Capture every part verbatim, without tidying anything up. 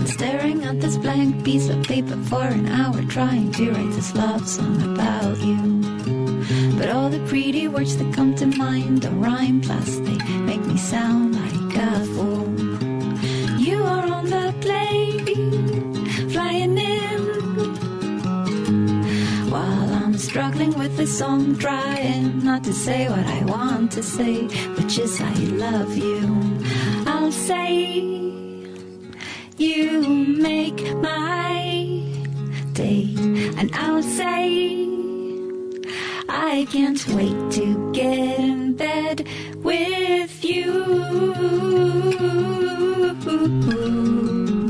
staring at this blank piece of paper for an hour, trying to write this love song about you. But all the pretty words that come to mind don't rhyme, plus they make me sound like a fool. You are on the plane, flying in, while I'm struggling with this song, trying not to say what I want to say, which is I love you. I'll say you make my day, and I'll say I can't wait to get in bed with you.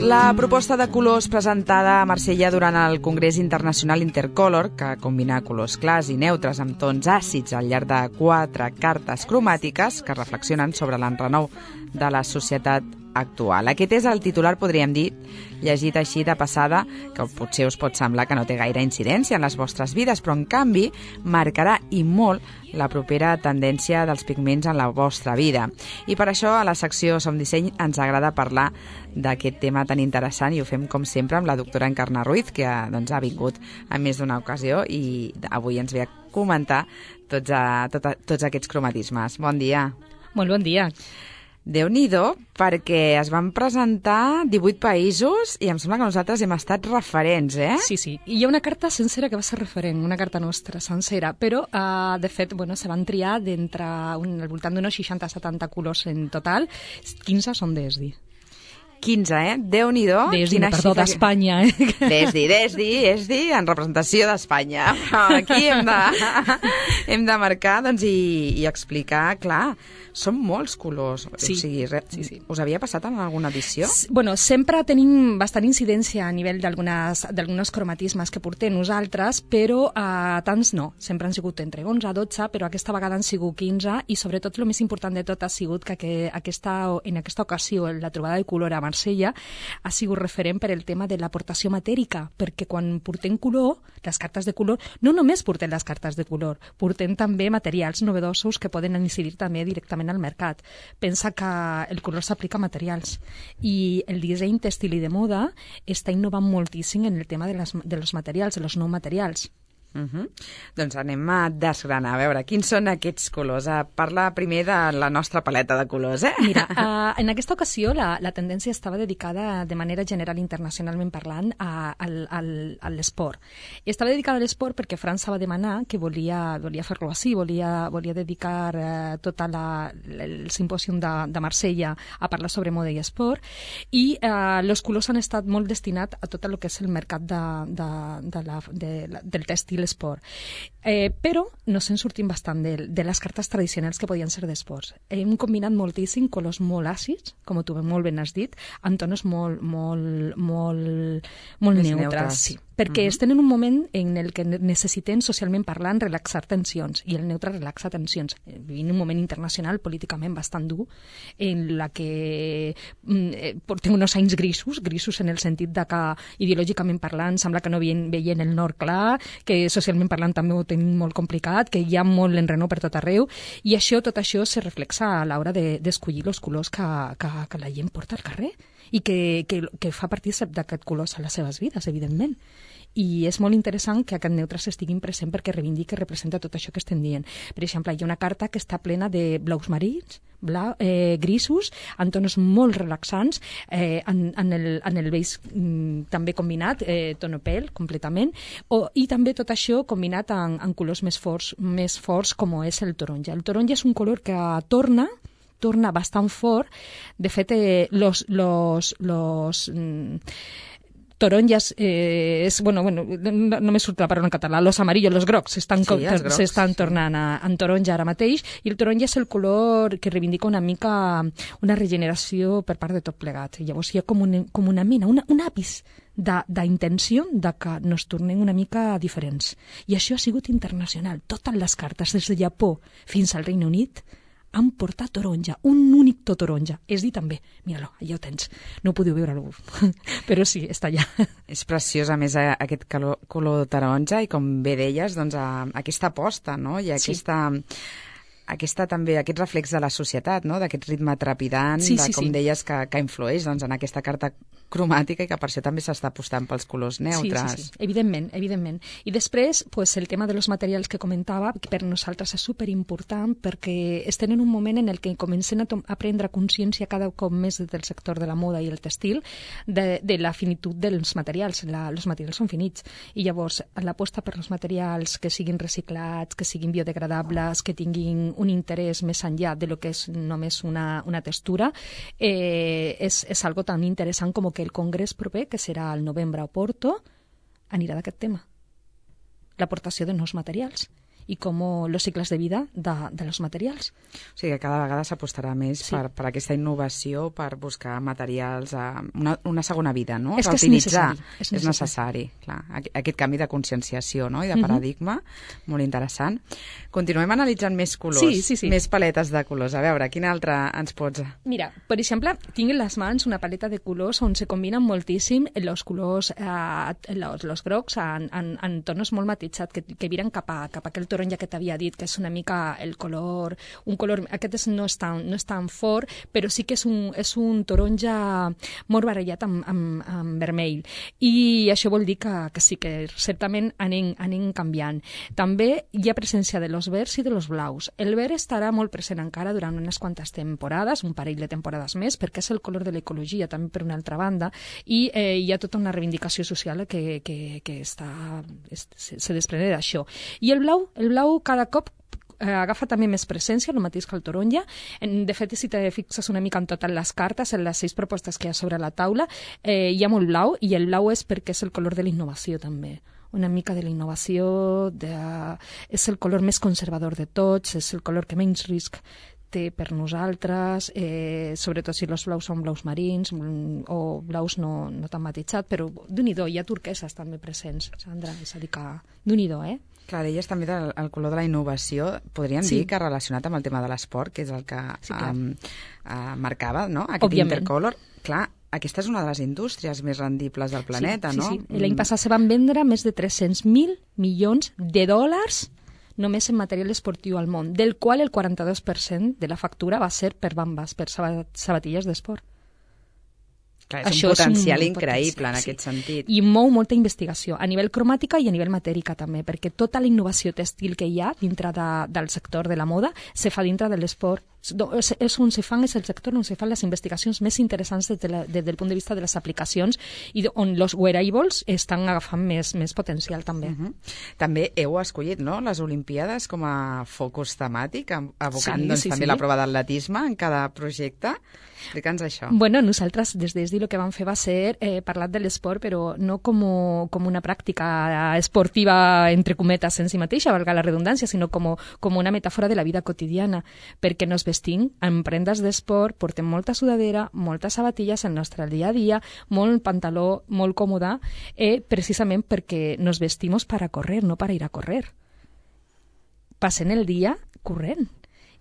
La proposta de colors presentada a Marsella durant el Congrés Internacional Intercolor, que combina colors clars i neutres amb tons àcids al llarg de quatre cartes cromàtiques que reflexionen sobre l'enrenou de la societat actual. Aquest és el titular, podríem dir, llegit així de passada, que potser us pot semblar que no té gaire incidència en les vostres vides, però en canvi marcarà i molt la propera tendència dels pigments en la vostra vida. I per això a la secció Som Disseny ens agrada parlar d'aquest tema tan interessant i ho fem com sempre amb la doctora Encarna Ruiz, que doncs, ha vingut en més d'una ocasió i avui ens ve a comentar tots, a, tot a, tots aquests cromatismes. Bon dia. Molt bon dia. Déu-n'hi-do, perquè es van presentar divuit països i em sembla que nosaltres hem estat referents, eh? Sí, sí. I hi ha una carta sencera que va ser referent, una carta nostra sencera, però, uh, de fet, bueno, se van triar d'entre un, al voltant d'uns seixanta setanta colors en total, quinze són d'E S D I. quinze, eh? Déu-n'hi-do. D'E S D I, no, perdó, d'Espanya, eh? D'E S D I, d'E S D I, E S D I en representació d'Espanya. Aquí hem de, hem de marcar doncs, i, i explicar, clar, són molts colors. Sí, o sigui, re, sí, sí. Us havia passat en alguna edició? S bueno, sempre tenim bastant incidència a nivell d'alguns cromatismes que portem nosaltres, però uh, tants no. Sempre han sigut entre onze a dotze, però aquesta vegada han sigut quinze i sobretot el més important de tot ha sigut que, que aquesta, en aquesta ocasió la trobada de color a Marsella ha sigut referent per el tema de l'aportació matèrica, perquè quan portem color, les cartes de color, no només portem les cartes de color, portem també materials novedosos que poden incidir també directament al mercat. Pensa que el color s'aplica a materials i el disseny tèxtil i de moda està innovant moltíssim en el tema de, les, de los materials, de los nous materials. Uh -huh. Doncs anem a desgranar, a veure, quins són aquests colors? Uh, parla primer de la nostra paleta de colors, eh? Mira, uh, en aquesta ocasió la, la tendència estava dedicada de manera general, internacionalment parlant, a, al, al, a l'esport. I estava dedicada a l'esport perquè França va demanar que volia, volia fer-lo així, volia, volia dedicar uh, tot la, el simpòsium de, de Marsella a parlar sobre moda i esport, i uh, els colors han estat molt destinats a tot el que és el mercat de, de, de la, de, la, del tèxtil l'esport. Eh, però no se'n sortim bastant de, de les cartes tradicionals que podien ser d'esports. Hem combinat moltíssim colors molt àcids, com tu molt ben has dit, amb tonos molt, molt, molt, molt neutres. neutres. Sí. Perquè uh -huh. estem en un moment en el que necessitem, socialment parlant, relaxar tensions, i el neutre relaxa tensions. Vivim un moment internacional políticament bastant dur, en la que eh, portem uns anys grisos, grisos en el sentit de que ideològicament parlant sembla que no veien, veien el nord clar, que socialment parlant també ho tenim molt complicat, que hi ha molt enrenou per tot arreu, i això, tot això se reflexa a l'hora d'escollir de, els colors que, que, que la gent porta al carrer i que, que, que fa partícip d'aquest colors a les seves vides, evidentment. I és molt interessant que aquest neutre s'estiguin present perquè reivindica i representa tot això que estem dient. Per exemple, hi ha una carta que està plena de blaus marins, blau, eh, grisos, en tonos molt relaxants, eh, en, en, el, en el beix mm, també combinat, eh, tonopel completament, o, i també tot això combinat en, en colors més forts, més forts com és el taronja. El taronja és un color que torna torna bastant fort. De fet, eh, los, los, los mm, taronjas, eh, és, bueno, bueno, no, no me surt la paraula en català, los amarillos, los grocs, s'estan sí, sí. tornant a, en taronja ara mateix, i el taronja és el color que reivindica una mica una regeneració per part de tot plegat. Llavors hi ha com, un, com una mena, una, un àpis d'intenció de, de que nos tornem una mica diferents. I això ha sigut internacional. Totes les cartes, des de Japó fins al Regne Unit, han portat taronja, un únic to taronja. És dir també, mira-lo, allà ho tens. No ho podeu veure, però sí, està allà. És preciós, a més, aquest color, color taronja, i com bé deies, doncs, aquesta aposta, no? I aquesta... Sí. aquesta, també, aquest reflex de la societat, no? D'aquest ritme trepidant, sí, de, sí, com sí. deies, que, que influeix doncs, en aquesta carta cromàtica i que per això també s'està apostant pels colors neutres. Sí, sí, sí. Evidentment, evidentment. I després, pues, el tema de los materials que comentava, que per nosaltres és superimportant perquè estem en un moment en el que comencem a, a prendre consciència cada cop més del sector de la moda i el textil de, de la finitud dels materials. La, els materials són finits. I llavors, l'aposta per els materials que siguin reciclats, que siguin biodegradables, que tinguin un interès més enllà de lo que és només una, una textura, eh, és, és algo tan interessant com que el congrés proper, que serà al novembre a Porto, anirà d'aquest tema. L'aportació de nous materials i com els cicles de vida de, de los materials. O sigui que cada vegada s'apostarà més sí. per, per aquesta innovació, per buscar materials, a una, una segona vida, no? És que és necessari. És necessari. És necessari, clar. Aquest canvi de conscienciació, no? I de paradigma, uh-huh. molt interessant. Continuem analitzant més colors, sí, sí, sí. més paletes de colors. A veure, quina altra ens pots... Mira, per exemple, tinc en les mans una paleta de colors on se combinen moltíssim els colors, eh, los, los grocs en, en, en tonos molt matitzats que, que viren cap a, cap a aquell taronja que t'havia dit, que és una mica el color... Un color aquest és, no, és tan, no és tan fort, però sí que és un, és un taronja molt barrejat amb, amb, amb vermell. I això vol dir que, que sí que certament anem, anem canviant. També hi ha presència de los verds i de los blaus. El verd estarà molt present encara durant unes quantes temporades, un parell de temporades més, perquè és el color de l'ecologia, també per una altra banda, i eh, hi ha tota una reivindicació social que, que, que està, es, se, se desprende d'això. I el blau, el blau cada cop eh, agafa també més presència, el mateix que el taronja. En, de fet, si te fixes una mica en totes les cartes, en les sis propostes que hi ha sobre la taula, eh, hi ha molt blau, i el blau és perquè és el color de la innovació també. Una mica de la innovació, de, és el color més conservador de tots, és el color que menys risc té per nosaltres, eh, sobretot si els blaus són blaus marins o blaus no, no tan matitzats, però d'un-i-do, hi ha turqueses també presents, Sandra, és a dir que d'un-i-do, eh? Clar, deies també del el color de la innovació, podríem sí. dir que relacionat amb el tema de l'esport, que és el que sí, um, uh, marcava, no?, aquest Òbviament. Intercolor. Clar, aquesta és una de les indústries més rendibles del planeta, sí, no? Sí, sí. L'any passat se van vendre més de tres-cents mil milions de dòlars només en material esportiu al món, del qual el quaranta-dos per cent de la factura va ser per bambes, per sabatilles d'esport. Clar, és Això un potencial és un increïble potencial, en aquest sí. sentit. I mou molta investigació, a nivell cromàtica i a nivell matèrica també, perquè tota la innovació textil que hi ha dintre de, del sector de la moda se fa dintre de l'esport. És, és on se fan, és el sector on se fan les investigacions més interessants des, de la, des del punt de vista de les aplicacions i on els wearables estan agafant més, més potencial també. Uh-huh. També heu escollit, no?, les Olimpíades com a focus temàtic, abocant sí, doncs, sí, també sí. la prova d'atletisme en cada projecte. Explica'ns això. Bueno, nosaltres des d'Esdi el que vam fer va ser eh, parlar de l'esport, però no com, com una pràctica esportiva, entre cometes, en si mateixa, valga la redundància, sinó com, com una metàfora de la vida quotidiana, perquè nos vestim en prendes d'esport, portem molta sudadera, moltes sabatilles en el nostre dia a dia, molt pantaló, molt còmode, eh, precisament perquè nos vestimos para correr, no para ir a correr. Passem el dia corrent.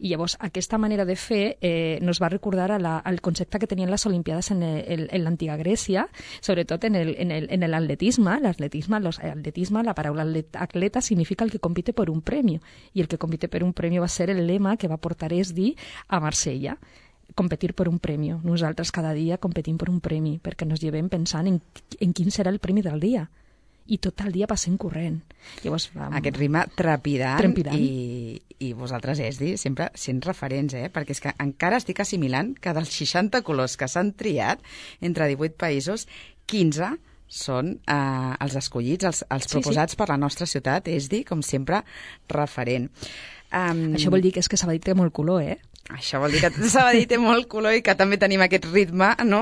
I llavors aquesta manera de fer eh, nos va recordar a la, al concepte que tenien les Olimpiades en, el, en l'antiga Grècia, sobretot en el, en el, en l'atletisme. L'atletisme, l'atletisme, la paraula atleta significa el que compite per un premi, i el que compite per un premi va ser el lema que va portar Esdi a Marsella. Competir per un premi. Nosaltres cada dia competim per un premi, perquè nos llevem pensant en, en quin serà el premi del dia. I tot el dia passem corrent. Llavors, vam... Aquest ritme trepidant, trepidant. I, i vosaltres, Esdi, sempre sent referents, eh? Perquè és que encara estic assimilant que dels seixanta colors que s'han triat entre divuit països, quinze són eh, els escollits, els, els proposats sí, sí. per la nostra ciutat, Esdi, com sempre, referent. Um... Això vol dir que és que Sabadell té molt color, eh? Això vol dir que Sabadell té molt color i que també tenim aquest ritme, no?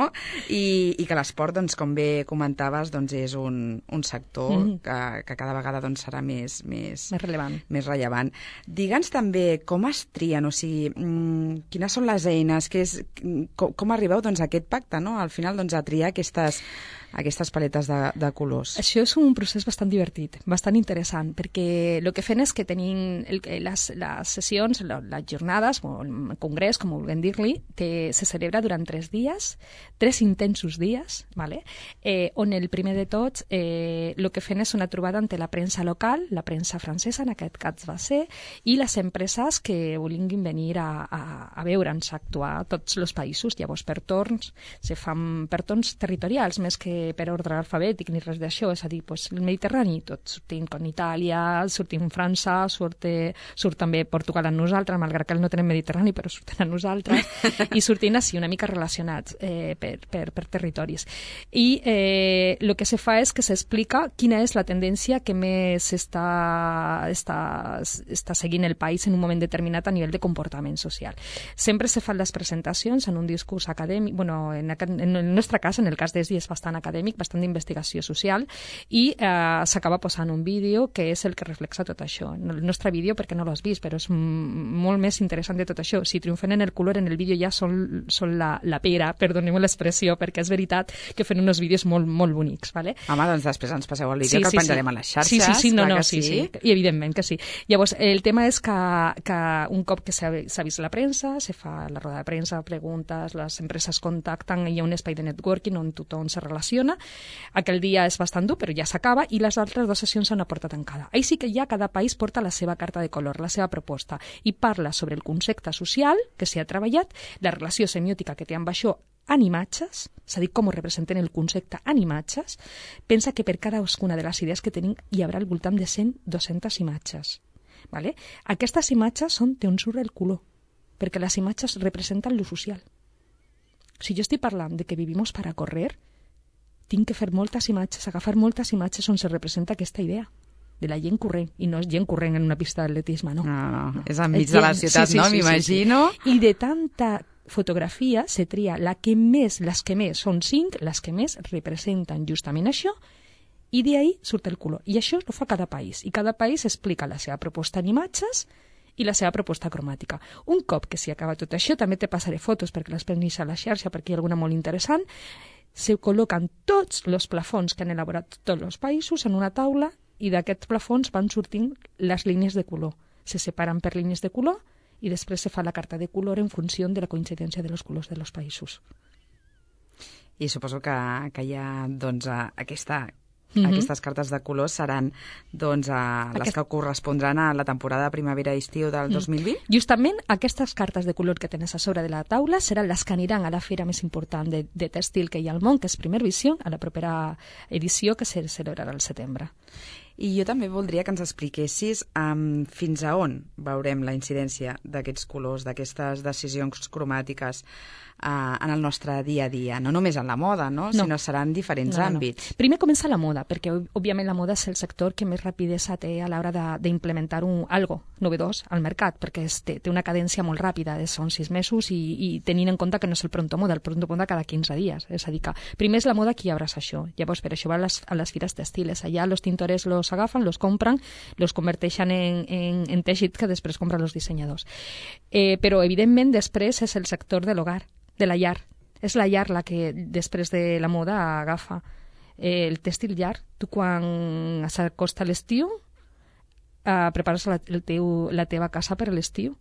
I, i que l'esport, doncs, com bé comentaves, doncs, és un, un sector mm. que, que cada vegada doncs, serà més, més, més rellevant. Més rellevant. Digue'ns també com es trien, o sigui, mmm, quines són les eines, que és, com, com arribeu doncs, a aquest pacte, no? Al final, doncs, a triar aquestes, aquestes paletes de, de colors? Això és un procés bastant divertit, bastant interessant, perquè el que fem és que tenim el, les, les sessions, les jornades, o el congrés, com vulguem dir-li, se celebra durant tres dies, tres intensos dies, vale? eh, on el primer de tots eh, el que fem és una trobada entre la premsa local, la premsa francesa, en aquest cas va ser, i les empreses que vulguin venir a, a, a veure'ns, a actuar a tots els països. Llavors, per torns, se fan per torns territorials, més que per ordre alfabètic ni res d'això, és a dir, pues, el Mediterrani, tot sortim con Itàlia, sortim França, surt, surt també Portugal amb nosaltres, malgrat que no tenem Mediterrani, però surten amb nosaltres, i sortim així una mica relacionats eh, per, per, per territoris. I eh, el que se fa és que s'explica quina és la tendència que més està, està, està seguint el país en un moment determinat a nivell de comportament social. Sempre se fan les presentacions en un discurs acadèmic, bueno, en, en el nostre cas, en el cas d'Esdi, és bastant acadèmic, bastant d'investigació social, i eh, s'acaba posant un vídeo que és el que reflexa tot això. El nostre vídeo, perquè no l'has vist, però és molt més interessant de tot això. Si triomfen en el color, en el vídeo ja són, són la, la pera, perdoneu l'expressió, perquè és veritat que fan uns vídeos molt, molt bonics. Vale? Home, doncs després ens passeu el vídeo, sí, que el sí, penjarem sí. a les xarxes. Sí, sí, sí, no, no, sí, sí, sí, i evidentment que sí. Llavors, el tema és que, que un cop que s'ha vist la premsa, se fa la roda de premsa, preguntes, les empreses contacten, hi ha un espai de networking on tothom se relaciona. Aquell dia és bastant dur, però ja s'acaba, i les altres dues sessions són a porta tancada. Ahí sí que ja cada país porta la seva carta de color, la seva proposta, i parla sobre el concepte social que s'hi ha treballat, la relació semiòtica que té amb això en imatges, és a dir, com ho representen el concepte en imatges. Pensa que per cadascuna de les idees que tenim hi haurà al voltant de cent a dues-centes imatges. Vale? Aquestes imatges són d'on surt el color, perquè les imatges representen lo social. Si jo estic parlant de que vivim per a correr, tinc que fer moltes imatges, agafar moltes imatges on se representa aquesta idea de la gent corrent, i no és gent corrent en una pista d'atletisme, no. No, no, no. És enmig de la ciutat, sí, sí, no? Sí, m'imagino. Sí, sí. I de tanta fotografia se tria la que més, les que més, són cinc, les que més representen justament això, i d'ahí surt el color. I això ho fa cada país, i cada país explica la seva proposta en imatges i la seva proposta cromàtica. Un cop que s'hi acaba tot això, també te passaré fotos perquè les pensis a la xarxa, perquè hi ha alguna molt interessant, se col·loquen tots els plafons que han elaborat tots els països en una taula, i d'aquests plafons van sortint les línies de color. Se separen per línies de color i després se fa la carta de color en funció de la coincidència dels colors dels països. I suposo que, que hi ha doncs, aquesta... Mm-hmm. Aquestes cartes de colors seran doncs, a les Aquest... que correspondran a la temporada primavera-estiu del dos mil vint? Mm. Justament aquestes cartes de color que tens a sobre de la taula seran les que aniran a la fira més important de, de tèxtil que hi ha al món, que és Primer Visió, a la propera edició que se celebrarà al setembre. I jo també voldria que ens expliquessis um, fins a on veurem la incidència d'aquests colors, d'aquestes decisions cromàtiques uh, en el nostre dia a dia. No només en la moda, no? no. Sinó seran diferents no, àmbits. No. Primer comença la moda, perquè òbviament la moda és el sector que més rapidesa té a l'hora d'implementar un algo novedós al mercat, perquè és, té, té una cadència molt ràpida, són sis mesos i, i tenint en compte que no és el pronto moda, el pronto moda cada quinze dies. És a dir, que primer és la moda qui abraça això. Llavors, per això va a les, a les fires textiles. Allà los tintores los agafen, los compran, los converteixen en, en, en teixit que després compren els dissenyadors. Eh, però, evidentment, després és el sector de l'hogar, de la llar. És la llar la que, després de la moda, agafa eh, el tèxtil llar. Tu, quan s'acosta l'estiu, eh, prepares la, el teu, la teva casa per a l'estiu.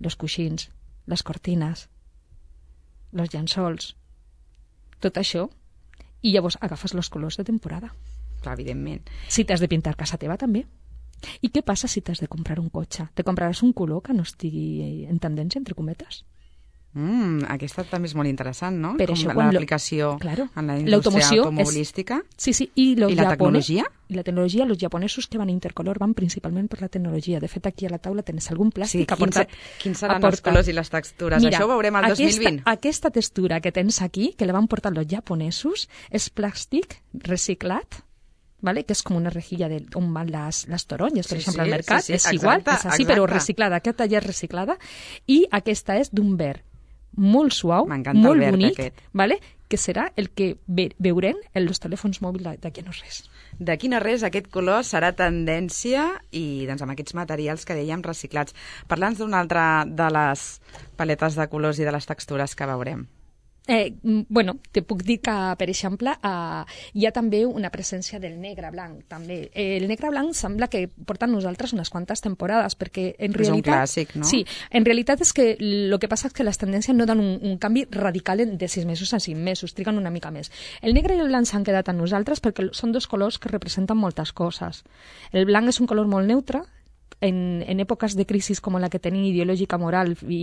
Els coixins, les cortines, els llençols, tot això. I llavors agafes els colors de temporada. Clar, evidentment. Si t'has de pintar casa teva, també. I què passa si t'has de comprar un cotxe? Te compraràs un color que no estigui en tendència, entre cometes? Mm, aquesta també és molt interessant, no? Per Com l'aplicació claro, en la indústria automobilística. És... Sí, sí, i, I la tecnologia? I la tecnologia, els japonesos que van a Intercolor van principalment per la tecnologia. De fet, aquí a la taula tens algun plàstic. Sí, quins, portat, quins seran portat... els colors i les textures? Mira, això ho veurem al aquesta, dos mil vint. Aquesta textura que tens aquí, que la van portar els japonesos, és plàstic reciclat, ¿vale? Que és com una rejilla de, on van les, les taronges, per sí, exemple, sí, al mercat. Sí, sí, és exacte, igual, és així, exacte. Però reciclada. Aquesta ja és reciclada. I aquesta és d'un verd molt suau, molt bonic, aquest. ¿Vale? Que serà el que ve, veurem en els telèfons mòbils d'aquí no res. D'aquí no res, aquest color serà tendència i doncs, amb aquests materials que dèiem reciclats. Parla'ns d'una altra de les paletes de colors i de les textures que veurem. Eh, bueno, te puc dir que, per exemple, eh, hi ha també una presència del negre blanc, també. Eh, el negre blanc sembla que porta a nosaltres unes quantes temporades, perquè en realitat... És un clàssic, no? Sí, en realitat és que el que passa és que les tendències no donen un, un canvi radical de sis mesos a cinc mesos, triguen una mica més. El negre i el blanc s'han quedat a nosaltres perquè són dos colors que representen moltes coses. El blanc és un color molt neutre, En, en èpoques de crisi com la que tenim ideològica, moral i,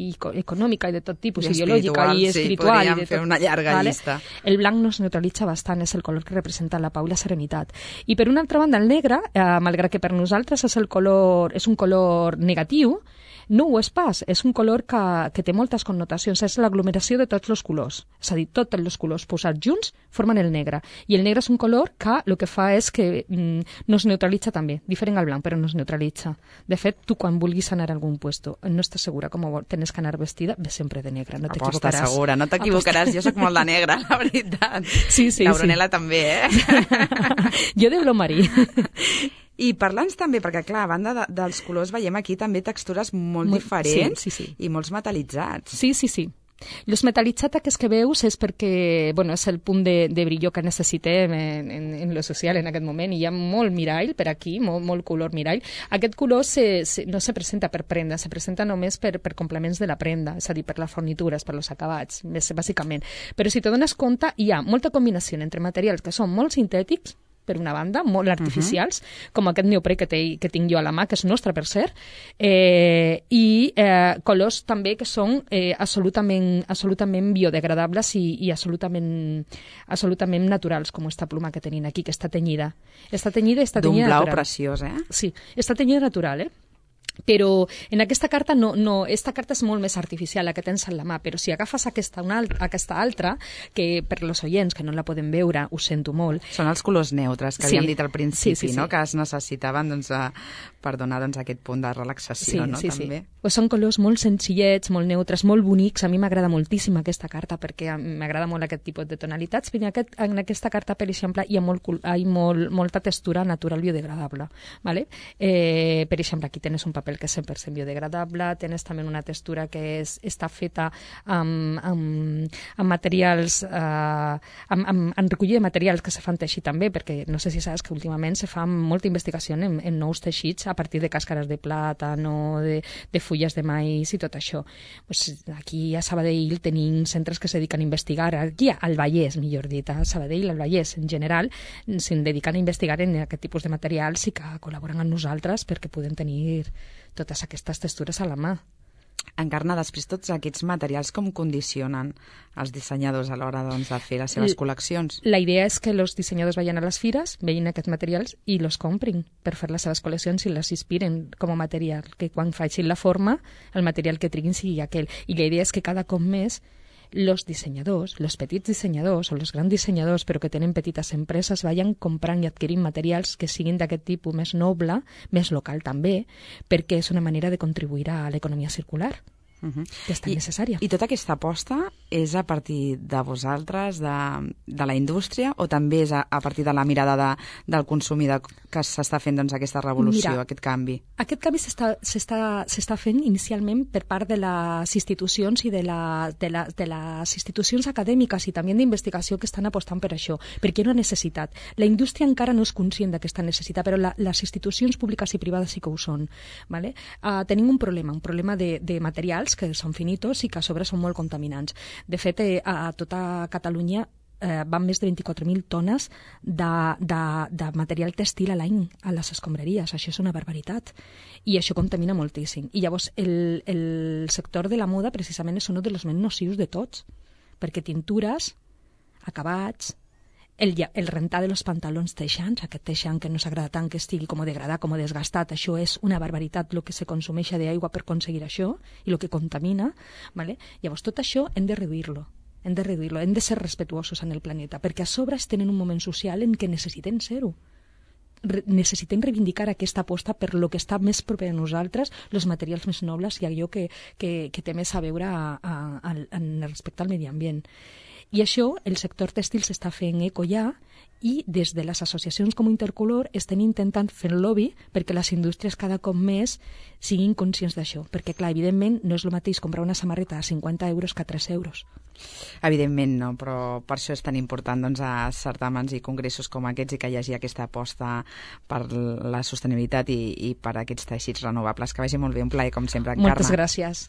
i econòmica i de tot tipus, I ideològica i espiritual. Sí, podríem i de tot, fer una llarga vale? llista. El blanc no es neutralitza bastant, és el color que representa la pau i la serenitat. I per una altra banda, el negre, eh, malgrat que per nosaltres és, el color, és un color negatiu, no ho és pas, és un color que, que té moltes connotacions, és l'aglomeració de tots els colors, és a dir, tots els colors posats junts formen el negre, i el negre és un color que el que fa és que mm, no es neutralitza també, diferent al blanc, però no es neutralitza. De fet, tu quan vulguis anar a algun puesto, no estàs segura com tens que anar vestida, ve sempre de negre, no t'equivocaràs. Aposta segura, no t'equivocaràs, jo sóc molt de negre, la veritat. Sí, sí, la Brunella sí. també, eh? Jo de blau marí. I parla'ns també, perquè clar, a banda de, dels colors veiem aquí també textures molt, molt diferents sí, sí, sí. i molts metal·litzats. Sí, sí, sí. Els metal·litzats aquests que veus és perquè bueno, és el punt de, de brillo que necessitem en, en, en lo social en aquest moment, i hi ha molt mirall per aquí, molt, molt color mirall. Aquest color se, se, no se presenta per prenda, se presenta només per, per complements de la prenda, és a dir, per les fornitures, per els acabats, més, bàsicament. Però si te dones compte, hi ha molta combinació entre materials que són molt sintètics, per una banda, molt artificials, uh-huh. com aquest neoprè que, te, que tinc jo a la mà, que és nostre, per cert, eh, i eh, colors també que són eh, absolutament, absolutament biodegradables i, i absolutament, absolutament naturals, com esta pluma que tenim aquí, que està tenyida. Està tenyida i està tenyida natural. D'un blau preciós, eh? Sí, està tenyida natural, eh? Però en aquesta carta no, no, esta carta és molt més artificial, la que tens a la mà, però si agafes aquesta, una, aquesta altra, que per als oients que no la poden veure, ho sento molt. Són els colors neutres que sí. havíem dit al principi, sí, sí, sí. no? Que es necessitaven doncs, a, per donar doncs, aquest punt de relaxació, sí, no? Sí, també. sí. Pues són colors molt senzillets, molt neutres, molt bonics. A mi m'agrada moltíssim aquesta carta perquè m'agrada molt aquest tipus de tonalitats. Però en, aquest, en aquesta carta, per exemple, hi ha, molt, hi ha molt, molta textura natural biodegradable. ¿Vale? Eh, per exemple, aquí tens un paper que és cent per cent biodegradable, tens també una textura que és, està feta amb, amb, amb materials, eh, amb, amb, amb recollida de materials que se fan teixir també, perquè no sé si saps que últimament se fa molta investigació en, en nous teixits a partir de càscares de plàtan, de, de fulles de maïs i tot això. Pues aquí a Sabadell tenim centres que se dediquen a investigar, aquí al Vallès, millor dit, a Sabadell, al Vallès en general, se'n dediquen a investigar en aquest tipus de materials i que col·laboren amb nosaltres perquè podem tenir totes aquestes textures a la mà. Encarna, després tots aquests materials com condicionen els dissenyadors a l'hora doncs, de fer les seves L col·leccions? La idea és que els dissenyadors vagin a les fires, vegin aquests materials i los comprin per fer les seves col·leccions i les inspiren com a material, que quan facin la forma el material que triguin sigui aquell. I la idea és que cada cop més los diseñadors, los petits dissenyadors o los grans dissenyadors, però que tenen petites empreses, vayan comprant i adquirint materials que siguin d'aquest tipus més noble, més local també, perquè és una manera de contribuir a l'economia circular. Uh-huh. Que és tan I, necessària. I tota aquesta aposta és a partir de vosaltres, de, de la indústria, o també és a, a partir de la mirada de, del consumidor que s'està fent doncs, aquesta revolució, Mira, aquest canvi? Aquest canvi s'està fent inicialment per part de les institucions i de, la, de, la, de les institucions acadèmiques i també d'investigació que estan apostant per això, perquè hi ha una necessitat. La indústria encara no és conscient d'aquesta necessitat, però la, les institucions públiques i privades sí que ho són. ¿Vale? Uh, tenim un problema, un problema de, de materials que són finitos i que a sobre són molt contaminants. De fet, eh, a tota Catalunya eh, van més de vint-i-quatre mil tones de, de, de material textil a l'any a les escombraries. Això és una barbaritat. I això contamina moltíssim. I llavors el, el sector de la moda precisament és un dels més nocius de tots, perquè tintures, acabats, El, el rentar de los pantalons teixants, aquest teixant que no s'agrada tant que estigui com degradat, com desgastat, això és una barbaritat el que se consumeix d'aigua per aconseguir això i el que contamina, ¿vale? Llavors tot això hem de reduir-lo, hem de reduir-lo, hem de ser respetuosos en el planeta, perquè a sobre tenen un moment social en què necessitem ser-ho. Re necessitem reivindicar aquesta aposta per lo que està més proper a nosaltres, els materials més nobles i allò que, que, que té més a veure a, a, a, a, respecte al medi ambient. I això el sector tèxtil s'està fent eco ja, i des de les associacions com Intercolor estem intentant fer el lobby perquè les indústries cada cop més siguin conscients d'això, perquè clar, evidentment no és el mateix comprar una samarreta a cinquanta euros que a tres euros. Evidentment no, però per això és tan important doncs, a certàmens i congressos com aquests i que hi hagi aquesta aposta per la sostenibilitat i, i per aquests teixits renovables. Que vagi molt bé, un plaer com sempre, Encarna. Moltes gràcies.